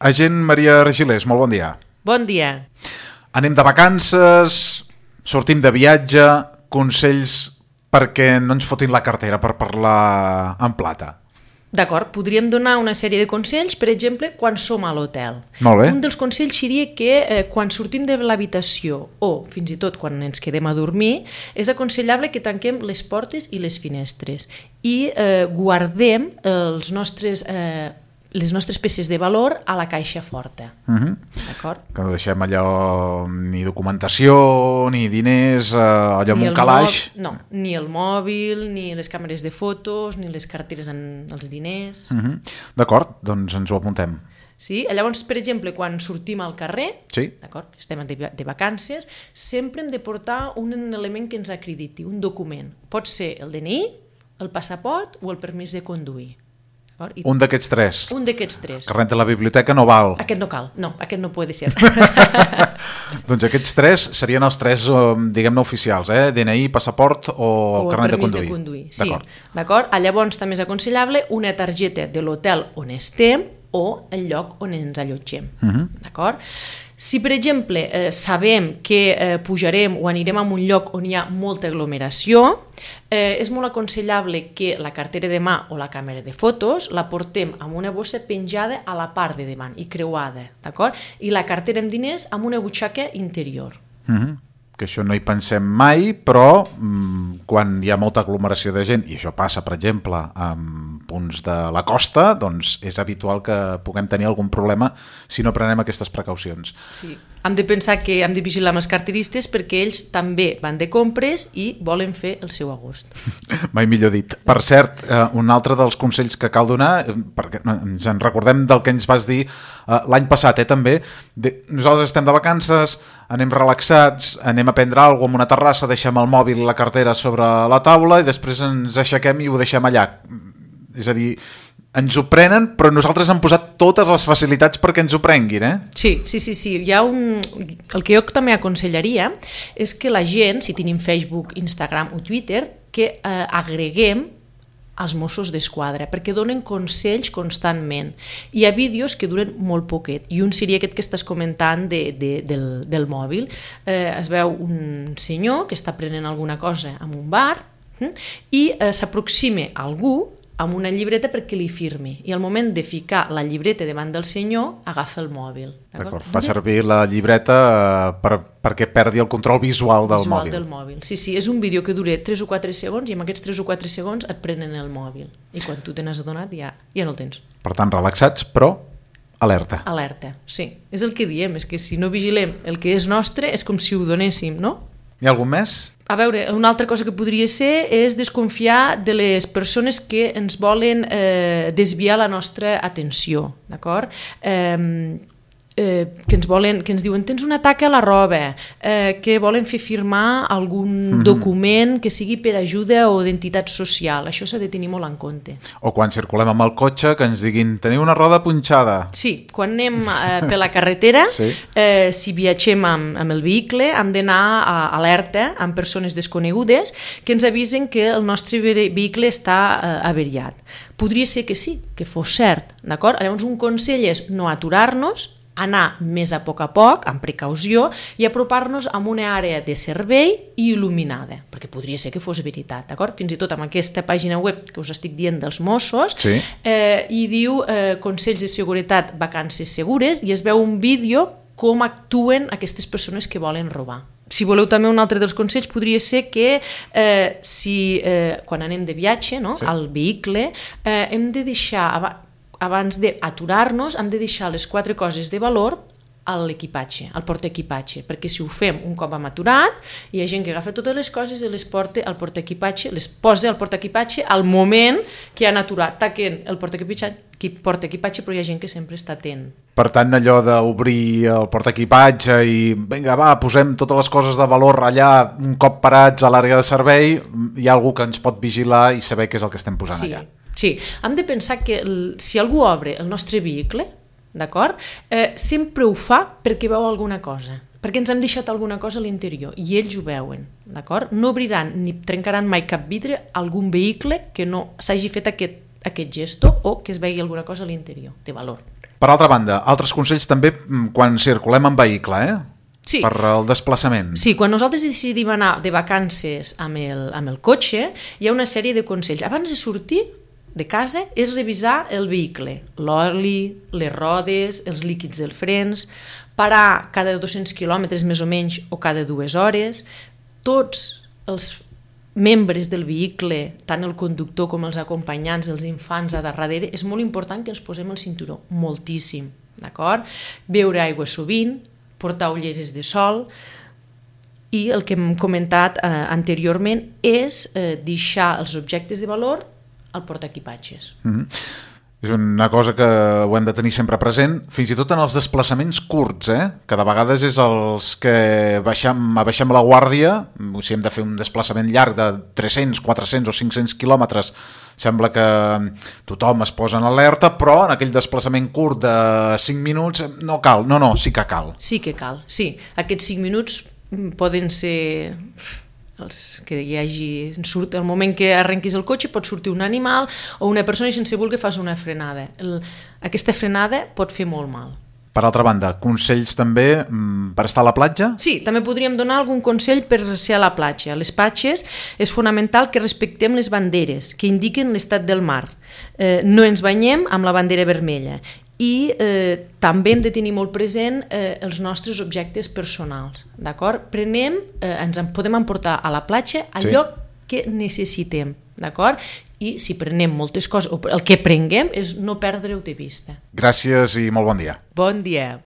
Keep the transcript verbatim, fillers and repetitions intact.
Agent Maria Regilés, molt bon dia. Bon dia. Anem de vacances, sortim de viatge, consells perquè no ens fotin la cartera per parlar en plata. D'acord, podríem donar una sèrie de consells, per exemple, quan som a l'hotel. Molt bé. Un dels consells seria que eh, quan sortim de l'habitació o fins i tot quan ens quedem a dormir, és aconsellable que tanquem les portes i les finestres i eh, guardem els nostres... Eh, les nostres peces de valor a la caixa forta. Uh-huh. D'acord? Que no deixem allò ni documentació, ni diners, eh, allò amb un calaix. No, ni el mòbil, ni les càmeres de fotos, ni les carteres amb els diners. Uh-huh. D'acord, doncs ens ho apuntem. Sí? Llavors, per exemple, quan sortim al carrer, sí. D'acord, estem de, de vacances, sempre hem de portar un element que ens acrediti, un document. Pot ser el D N I, el passaport o el permís de conduir. I un d'aquests tres. Un d'aquests tres. Carnet de la biblioteca no val. Aquest no cal, no, aquest no pot ser. Doncs aquests tres serien els tres, diguem-ne, oficials, eh? D N I, passaport o, o carnet de conduir. de conduir. Sí, d'acord. Llavors també és aconsellable una targeta de l'hotel on estem o el lloc on ens allotgem. Uh-huh. D'acord? Si, per exemple, eh, sabem que eh, pujarem o anirem a un lloc on hi ha molta aglomeració, eh, és molt aconsellable que la cartera de mà o la càmera de fotos la portem amb una bossa penjada a la part de davant i creuada, d'acord? I la cartera amb diners amb una butxaca interior. Mhm. Que això no hi pensem mai, però mmm, quan hi ha molta aglomeració de gent, i això passa, per exemple, en punts de la costa, doncs és habitual que puguem tenir algun problema si no prenem aquestes precaucions. Sí, hem de pensar que hem de vigilar amb els carteristes perquè ells també van de compres i volen fer el seu agost. Mai millor dit. Per cert, eh, un altre dels consells que cal donar, perquè ens en recordem del que ens vas dir eh, l'any passat, eh, també, de, nosaltres estem de vacances, anem relaxats, anem a prendre alguna cosa en una terrassa, deixem el mòbil i la cartera sobre la taula i després ens aixequem i ho deixem allà. És a dir, ens ho prenen, però nosaltres hem posat totes les facilitats perquè ens ho prenguin, eh? Sí, sí, sí, sí. Hi ha un... El que jo també aconsellaria és que la gent, si tenim Facebook, Instagram o Twitter, que eh, agreguem als Mossos d'Esquadra, perquè donen consells constantment. Hi ha vídeos que duren molt poquet, i un seria aquest que estàs comentant de, de, del, del mòbil. Eh, es veu un senyor que està prenent alguna cosa en un bar hm? i eh, s'aproxima a algú amb una llibreta perquè li firmi, i al moment de ficar la llibreta davant del senyor agafa el mòbil. D'acord, fa servir la llibreta per, perquè perdi el control visual del visual mòbil. del mòbil. Sí, sí, és un vídeo que dura tres o quatre segons i amb aquests tres o quatre segons et prenen el mòbil i quan tu te n'has adonat ja, ja no el tens. Per tant, relaxats, però alerta. Alerta, sí. És el que diem, és que si no vigilem el que és nostre és com si ho donéssim, no? Hi ha algun més? A veure, una altra cosa que podria ser és desconfiar de les persones que ens volen eh, desviar la nostra atenció, d'acord? Eh, eh, que ens volen, que ens diuen tens una taca a la roba, eh, que volen fer firmar algun mm-hmm. document que sigui per ajuda o d'entitat social. Això s'ha de tenir molt en compte. O quan circulem amb el cotxe que ens diguin teniu una roda punxada. Sí, quan anem eh, per la carretera, sí. eh, si viatgem amb, amb el vehicle, hem d'anar a alerta amb persones desconegudes que ens avisen que el nostre vehicle està eh, averiat. Podria ser que sí, que fos cert, d'acord? Llavors un consell és no aturar-nos, anar més a poc a poc, amb precaució, i apropar-nos a una àrea de servei i il·luminada, perquè podria ser que fos veritat, d'acord? Fins i tot amb aquesta pàgina web que us estic dient dels Mossos, sí. eh, hi diu eh, Consells de Seguretat, Vacances Segures, i es veu un vídeo com actuen aquestes persones que volen robar. Si voleu també un altre dels consells podria ser que eh, si eh, quan anem de viatge, no, sí. al vehicle, eh, hem de deixar... abans d'aturar-nos, hem de deixar les quatre coses de valor a l'equipatge, al portaequipatge, perquè si ho fem un cop hem aturat, hi ha gent que agafa totes les coses i les porta al portaequipatge, les posa al portaequipatge al moment que han aturat, taquen el portaequipatge, però hi ha gent que sempre està atent. Per tant, allò d'obrir el portaequipatge i vinga, va, posem totes les coses de valor allà, un cop parats a l'àrea de servei, hi ha algú que ens pot vigilar i saber què és el que estem posant sí. allà. Sí, hem de pensar que el, si algú obre el nostre vehicle, d'acord, eh, sempre ho fa perquè veu alguna cosa, perquè ens hem deixat alguna cosa a l'interior i ells ho veuen, d'acord? No obriran ni trencaran mai cap vidre a algun vehicle que no s'hagi fet aquest, aquest gesto o que es vegi alguna cosa a l'interior de valor. Per altra banda, altres consells també quan circulem en vehicle, eh? Sí. Per el desplaçament. Sí, quan nosaltres decidim anar de vacances amb el, amb el cotxe, hi ha una sèrie de consells. Abans de sortir de casa és revisar el vehicle, l'oli, les rodes, els líquids dels frens, parar cada dos-cents quilòmetres més o menys o cada dues hores, tots els membres del vehicle, tant el conductor com els acompanyants, els infants a darrere, és molt important que ens posem el cinturó, moltíssim, d'acord? Beure aigua sovint, portar ulleres de sol i el que hem comentat eh, anteriorment és eh, deixar els objectes de valor al portaequipatges. Mm-hmm. És una cosa que ho hem de tenir sempre present, fins i tot en els desplaçaments curts, eh? Que de vegades és els que baixem, baixem la guàrdia, si hem de fer un desplaçament llarg de tres-cents, quatre-cents o cinc-cents quilòmetres, sembla que tothom es posa en alerta, però en aquell desplaçament curt de cinc minuts no cal, no, no, sí que cal. Sí que cal, sí. Aquests cinc minuts poden ser... els que hi hagi, surt, el moment que arrenquis el cotxe pot sortir un animal o una persona i sense voler fas una frenada. El, aquesta frenada pot fer molt mal. Per altra banda, consells també per estar a la platja? Sí, també podríem donar algun consell per ser a la platja. A les platges és fonamental que respectem les banderes que indiquen l'estat del mar. Eh, no ens banyem amb la bandera vermella i eh, també hem de tenir molt present eh, els nostres objectes personals, d'acord? Prenem, eh, ens en podem emportar a la platja allò sí. que necessitem, d'acord? I si prenem moltes coses, o el que prenguem és no perdre-ho de vista. Gràcies i molt bon dia. Bon dia.